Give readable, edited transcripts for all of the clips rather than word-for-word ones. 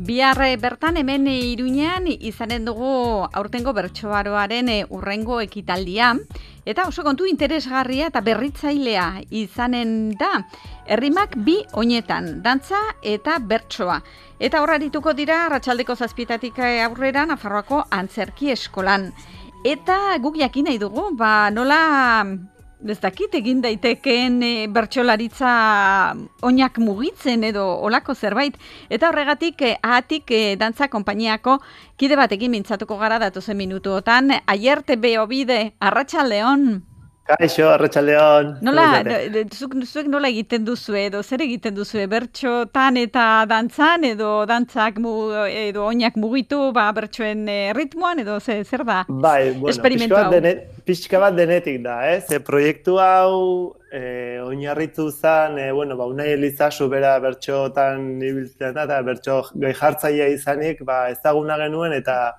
Bihar bertan hemen Iruñean izanen dugu aurtengo bertsoaroaren hurrengo ekitaldia, eta oso kontu interesgarria eta berritzailea izanen da. Errimak bi oinetan, dantza eta bertsoa. Eta horra dituko dira arratsaldeko 7:00 aurrera Nafarroako Antzerki Eskolan. Eta guk jakin nahi dugu, nola ez dakit egin daitekeen bertsolaritza oinak mugitzen edo olako zerbait. Eta horregatik ahatik dantza konpainiako kide batekin mintzatuko gara datozen minutuotan. Aierte Beobide, arratsaldeon. Kaixo, arratsaldeon. Nola, zuek nola egiten duzu edo zer egiten duzu bertsotan eta dantzan edo dantzak edo oinak mugitu bertsoen ritmoan edo zer da? Bai, esperimentu hau. Pixka bat denetik da, proiektu hau oinarritu zen, Unai Elizazu bera bertsotan ibiltzen da, eta bertso gai jartzailea izanik, ezaguna genuen eta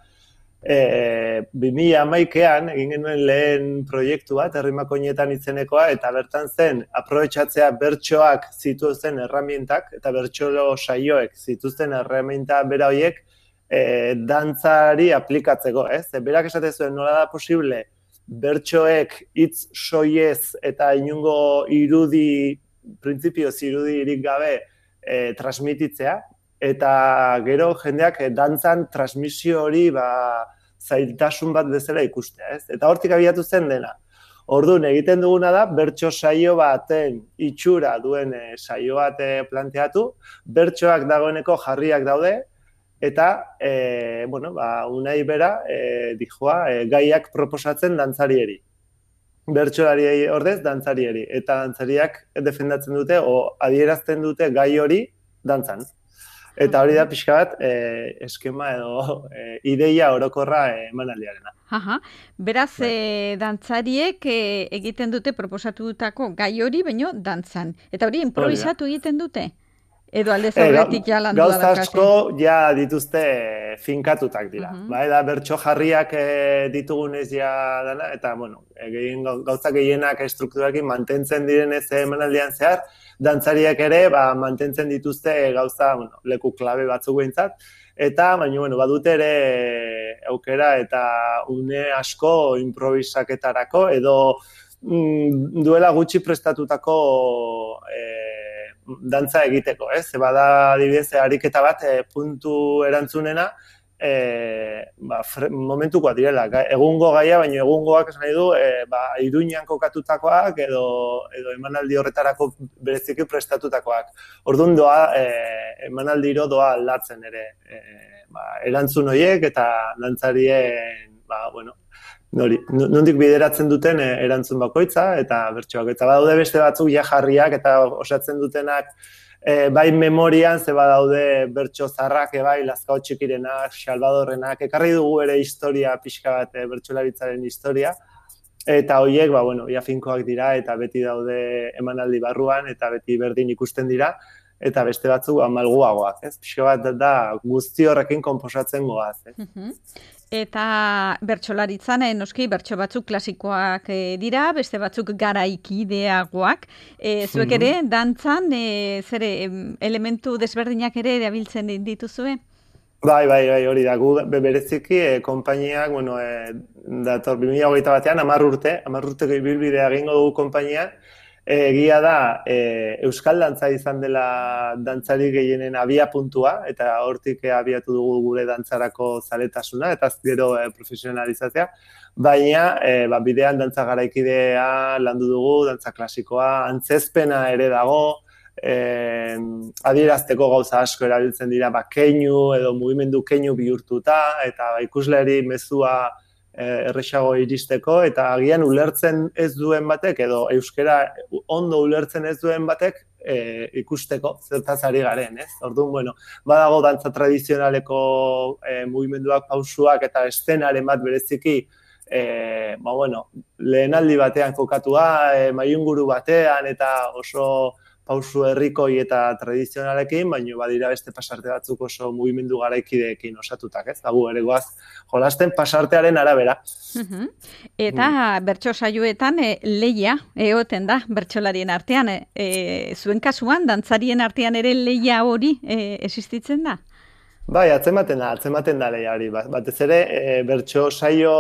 2011an egin genuen lehen proiektu bat, Errimak oinetan izenekoa, eta bertan zen, aprobetxatzea bertsoak zituzten erramientak, eta bertsolo saioek zituzten erramienta bera horiek dantzari aplikatzeko, Berak esate zuen nola da posible, bertsoek hitz soiez eta inungo printzipioz irudirik gabe transmititzea, eta gero jendeak dantzan transmisio hori zailtasun bat bezala ikustea, Eta hortik abiatu zen dena. Orduan egiten duguna da, bertso saio baten itxura duen saio bat planteatu, bertsoak dagoeneko jarriak daude, eta, Unai bera, gaiak proposatzen dantzarieri. Bertsolari ordez dantzarieri. Eta dantzariak defendatzen dute, adierazten dute gai hori dantzan. Eta hori da pixka bat eskema edo ideia orokorra emanaldiarena. Beraz, dantzariek egiten dute proposatutako gai hori, baino dantzan. Eta hori improvisatu egiten dute? Edo aldez aurretik ja landu da Gauza asko ja dituzte finkatutak dira. Da bertso jarriak ditugunez ja dana, eta gauza gehienak estrukturarekin mantentzen direnez emanaldian zehar, dantzariak ere mantentzen dituzte gauza leku klabe batzuk behintzat, eta badute ere aukera eta une asko improvisaketarako edo duela gutxi prestatutako dantza egiteko, Bada adibidez ariketa bat puntu erantzunena momentukoa direla, egungo gaia, baina egungoak esan nahi du Iruñean kokatutakoak edo emanaldi horretarako bereziki prestatutakoak. Orduan emanaldiro doa aldatzen ere erantzun horiek eta dantzarien nondik bideratzen duten erantzun bakoitza eta bertsoak. Eta badaude beste batzuk jarriak eta osatzen dutenak bai memorian, badaude bertso zarrak, Lazkao Txikirenak, Salvadorrenak, ekarri dugu ere historia pixka bat, bertsolaritzaren historia, eta horiek, finkoak dira, eta beti daude emanaldi barruan, eta beti berdin ikusten dira, eta beste batzuk malguagoak, Pixka bat da guzti horrekin konposatzen goaz, Eta bertsolaritzan, noski, bertso batzuk klasikoak dira, beste batzuk garaikideagoak. Zuek ere, dantzan, elementu desberdinak ere erabiltzen dituzue? Bai, hori da. Gu bereziki, konpainiak, dator 2021 batean, 10 urteko ibilbidea egingo dugu konpainian, egia da, euskal dantza izan dela dantzari gehienen abia puntua, eta hortik abiatu dugu gure dantzarako zaletasuna, eta gero profesionalizatzea, baina bidean dantza garaikidea landu dugu, dantza klasikoa, antzezpena ere dago, adierazteko gauza asko erabiltzen dira, keinu edo mugimendu keinu bihurtuta, eta ikusleri mezua erresago iristeko, eta agian ulertzen ez duen batek, edo euskara ondo ulertzen ez duen batek ikusteko zertaz ari garen, Orduan, badago dantza tradizionaleko mugimenduak, pausuak eta eszenaren bat bereziki, lehenaldi batean kokatua, mailunguru batean, eta oso pausu herrikoi eta tradizionalekin, baina badira beste pasarte batzuk oso mugimendu garaikideekin osatutak, Gu ere goaz jolasten pasartearen arabera. Eta bertso saioetan lehia egoten da bertsolarien artean. Zuen kasuan, dantzarien artean ere lehia hori existitzen da? Bai, atzematen da lehiari. Batez ere, bertso saio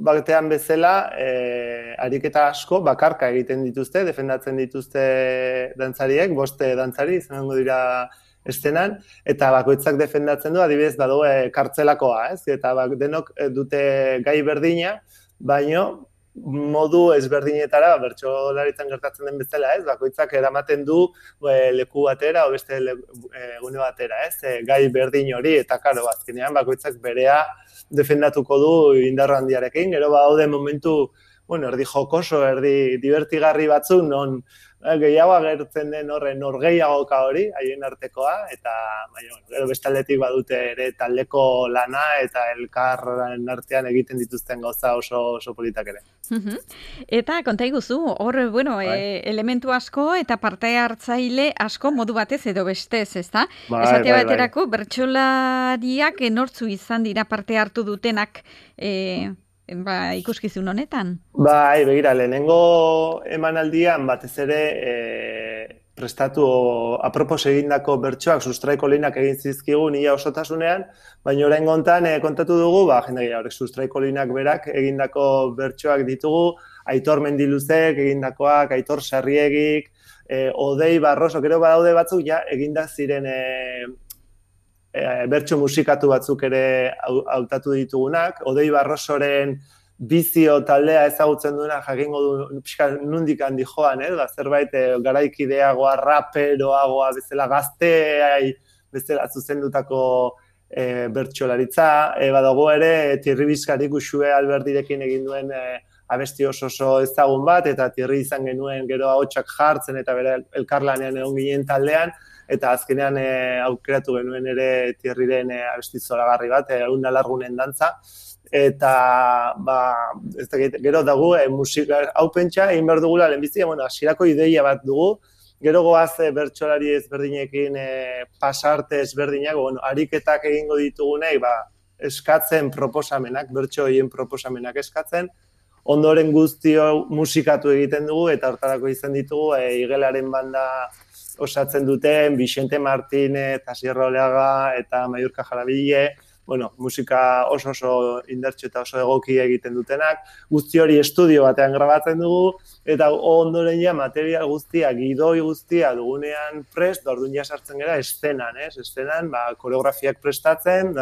batean bezala, ariketa asko bakarka egiten dituzte, defendatzen dituzte dantzariek, 5 dantzari izango dira estenan, eta bakoitzak defendatzen du, adibidez, badu kartzelakoa, ez? Eta denok dute gai berdina, baino modu ezberdinetara, bertsolaritzan gertatzen den bezala, ez? Bakoitzak eramaten du leku batera o beste gune batera, ez? Gai berdin hori, eta karo, azkenean bakoitzak berea defendatuko du indar handiarekin, gero badaude momentu, bueno, erdi jokoso, erdi divertigarri batzuk, non gehiago agertzen den horren norgehiagoka hori, haien artekoa, eta gero bestaldetik badute ere taldeko lana eta elkarren artean egiten dituzten gauza oso politak ere. Eta konta iguzu, hor, bueno, elementu asko eta parte hartzaile asko modu batez edo bestez, ezta? Esate baterako, bertsolariak nortzu izan dira parte hartu dutenak ikuskizun honetan? Bai, begira, lehenengo emanaldian batez ere prestatu apropos egindako bertsoak sustraiko linak egin zizkigun ia osotasunean, baina orain gontan kontatu dugu, jendegia horrek sustraiko linak berak egindako bertsoak ditugu, Aitor Mendiluzek egindakoak, Aitor Sarriegik, Odei Barroso, gero badaude batzuk ja eginda ziren bertso musikatu batzuk ere hautatu ditugunak. Odei Barrosoren bizio taldea ezagutzen duena jakingo du pixka nundik handi joan, zerbait garaikideagoa, raperoagoa, bezala gazteai, bezala zuzendutako bertsolaritza. Badago ere, Thierry Bizkarik Uxue Alberdirekin egin duen abesti oso ezagun bat, eta Thierry izan genuen gero ahotsak jartzen eta bere elkarlanean egon ginen taldean, eta azkenean aukeratu genuen ere Thierryren abesti zoragarri bat, Una Largunen dantza, eta gero dago musika hau pentsa egin behar dugula lehenbizia, hasierako ideia bat dugu, gero goaz bertsolari ezberdinekin pasarte ezberdinak, ariketak egingo ditugunei eskatzen proposamenak, bertso horien proposamenak eskatzen, ondoren guztio musikatu egiten dugu, eta hortarako izan ditugu Igelaren banda osatzen duten Vicente Martínez, Asier Oleaga eta Maiurka Jarabile, musika oso indartsu eta oso egoki egiten dutenak, guzti hori estudio batean grabatzen dugu, eta ondoren ja material guztia, gidoi guztia dugunean prest, orduan ja sartzen gara estenan, estenan, koreografiak prestatzen,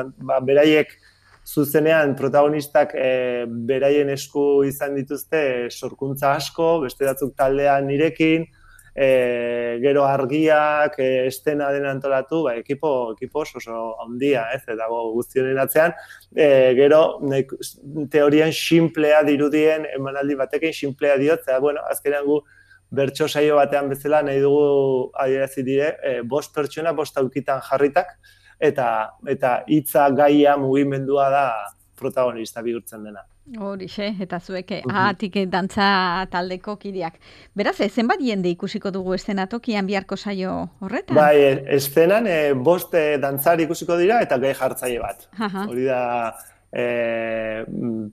beraiek zuzenean protagonistak beraien esku izan dituzte sorkuntza asko, beste batzuk taldean nirekin, gero argiak, estena den antolatu, ekipo oso handia, eta guztionen atzean, gero teorian sinplea dirudien emanaldi batekin, sinplea diot, azkenean gu bertso saio batean bezala nahi dugu adierazi dire, 5 pertsona 5 aukitan jarritak, eta hitza gaia mugimendua da protagonista bihurtzen dena. Horixe, eta zuek ahatik dantza taldeko kideak. Beraz, zenbat jende ikusiko dugu eszenatokian biharko saio horretan? Bai, estenan 5 dantzari ikusiko dira eta gai jartzaile bat. Hori da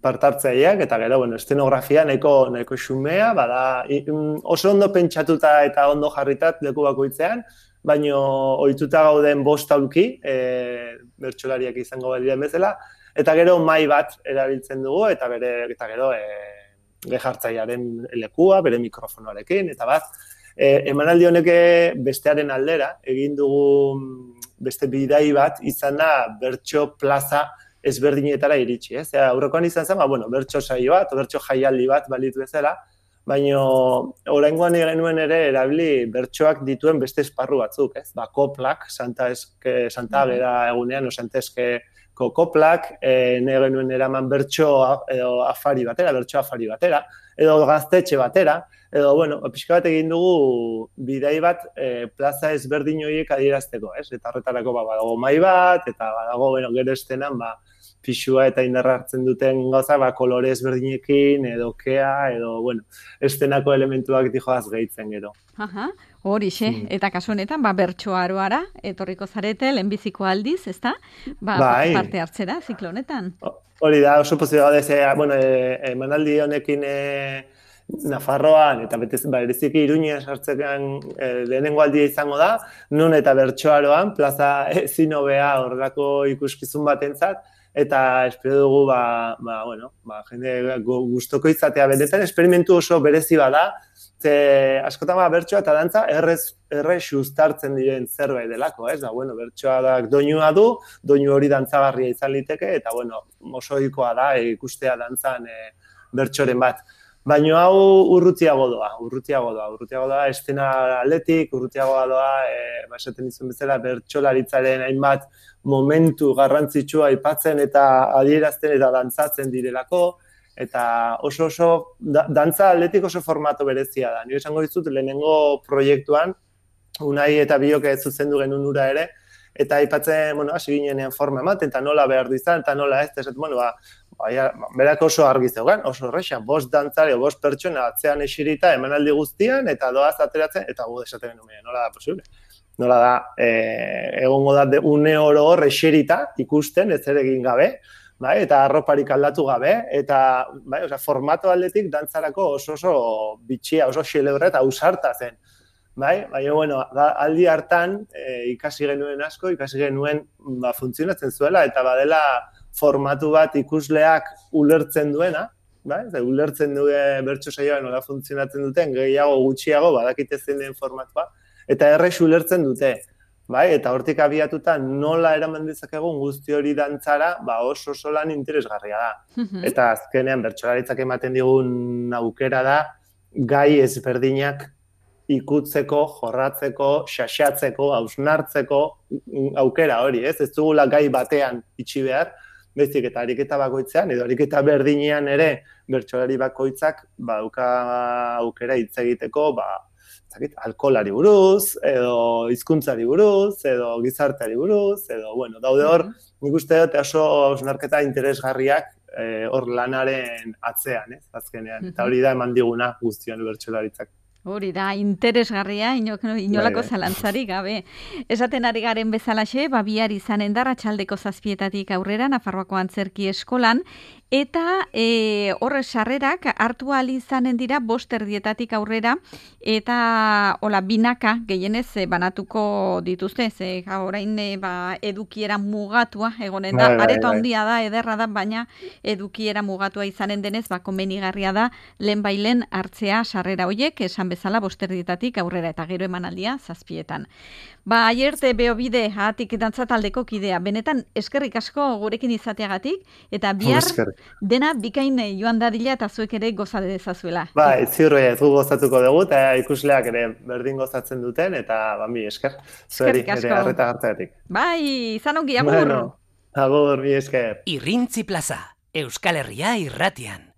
partartzaileak, eta gero, estenografia nahiko xumea, oso ondo pentsatuta eta ondo jarritat leku bakoitzean, baino ohituta gauden 5 aulki, bertsolariak izango badiren bezala, eta gero mai bat erabiltzen dugu, eta gero jartzailearen lekua, bere mikrofonoarekin, eta emanaldi honek bestearen aldera, egin dugu beste bidai bat, izan da bertso plaza ezberdinetara iritsi. Aurrekoan izan zen, bertso saio bat, bertso jaialdi bat balitu bezala, baina oraingoan genuen ere erabili bertsoak dituen beste esparru batzuk, koplak, Santa Ageda egunean, Santezkeko koplak, nahi genuen eraman bertso afari batera, edo gaztetxe batera, edo, pixka bat egin dugu bidai bat plaza ezberdin horiek adierazteko, eta horretarako badago mai bat, eta badago gero estenan, pixua eta indarra hartzen duten gauza, kolore ezberdinekin, edo kea, edo, estenako elementuak dijoaz gehitzen gero. Horixe, eta kasu honetan, bertso aroara, etorriko zarete, lehenbiziko aldiz, ezta? Parte hartzera, ziklo honetan. Hori da, oso pozio gaudez, emanaldi honekin Nafarroan, eta bereziki Iruñean sartzean lehenengo aldia izango da, non eta Bertsoaroan, plaza ezin hobea horrelako ikuskizun batentzat, eta espero dugu, jende gustoko izatea benetan, esperimentu oso berezi bada, ze askotan bertsoa eta dantza errez uztartzen diren zerbait delako, ez? Bertsoa doinua du, doinu hori dantzagarria izan liteke, eta oso ohikoa da ikustea dantzan bertsoren bat. Baina hau urrutiago doa, estena aldetik, urrutiagoa doa, esaten izan bezala, bertsolaritzaren hainbat momentu garrantzitsua aipatzen eta adierazten eta dantzatzen direlako, eta oso dantza aldetik oso formatu berezia da. Nire esango dizut, lehenengo proiektuan, Unai eta Biok zuzendu genuen ura ere, eta aipatzen, hasi ginenean forma ematen, eta nola behar du izan, eta nola ez, berak oso argi zeugan, oso horrexan, 5 dantzari, 5 pertsona atzean esirita, emanaldi guztian, eta doaz ateratzen, eta gu desaten genuen, nola da posible? Nola da, egongo da une oro hor esirita ikusten, ez ere egin gabe, eta arroparik aldatu gabe, eta formato aldetik dantzarako oso bitxia, oso xelebra eta ausarta zen. Aldi hartan ikasi genuen asko, ikasi genuen funtzionatzen zuela, eta badela formatu bat ikusleak ulertzen duena, ulertzen duen bertso saioa nola funtzionatzen duten, gehiago gutxiago badakite zein den formatua, eta errez ulertzen dute. Eta hortik abiatuta nola eraman dezakegun guzti hori dantzara, oso lan interesgarria da. Eta azkenean bertsolaritzak ematen digun aukera da, gai ezberdinak ikutzeko, jorratzeko, xaxatzeko, hausnartzeko aukera hori, ez? Ez dugula gai batean itxi behar, bezik eta ariketa bakoitzean, edo ariketa berdinean ere bertsolari bakoitzak dauka aukera hitz egiteko, alkoholari buruz, edo hizkuntzari buruz, edo gizarteari buruz, edo, daude hor, nik uste dut oso hausnarketa interesgarriak hor lanaren atzean, ez, azkenean. Eta hori da eman diguna guztion bertsolaritzak. Hori da, interesgarria, inolako zalantzari gabe. Esaten ari garen bezalaxe, bihar izanen da Arratsaldeko 7:00 aurrera, Nafarroako Antzerki Eskolan, eta horre sarrerak hartu ahal izanen dira 5:30 aurrera, eta binaka gehienez banatuko dituzte, ze orain edukiera mugatua egonen da, areto handia da, ederra da, baina edukiera mugatua izanen denez, komenigarria da, lehen hartzea sarrera hoiek, esan bezala 5:30 aurrera, eta gero emanaldia 7:00. Aierte Beobide, hatik dantza taldeko kidea, benetan eskerrik asko gurekin izateagatik, eta bihar dena bikain joan dadila eta zuek ere goza dezazuela. Ziurre, ez gu gozatuko dugu, eta ikusleak ere berdin gozatzen duten, eta mi esker. Eskerrik asko. Ere harreta hartzeatik. Izan ongi, agur. Agur, mi esker. Irrintzi Plaza, Euskal Herria irratian.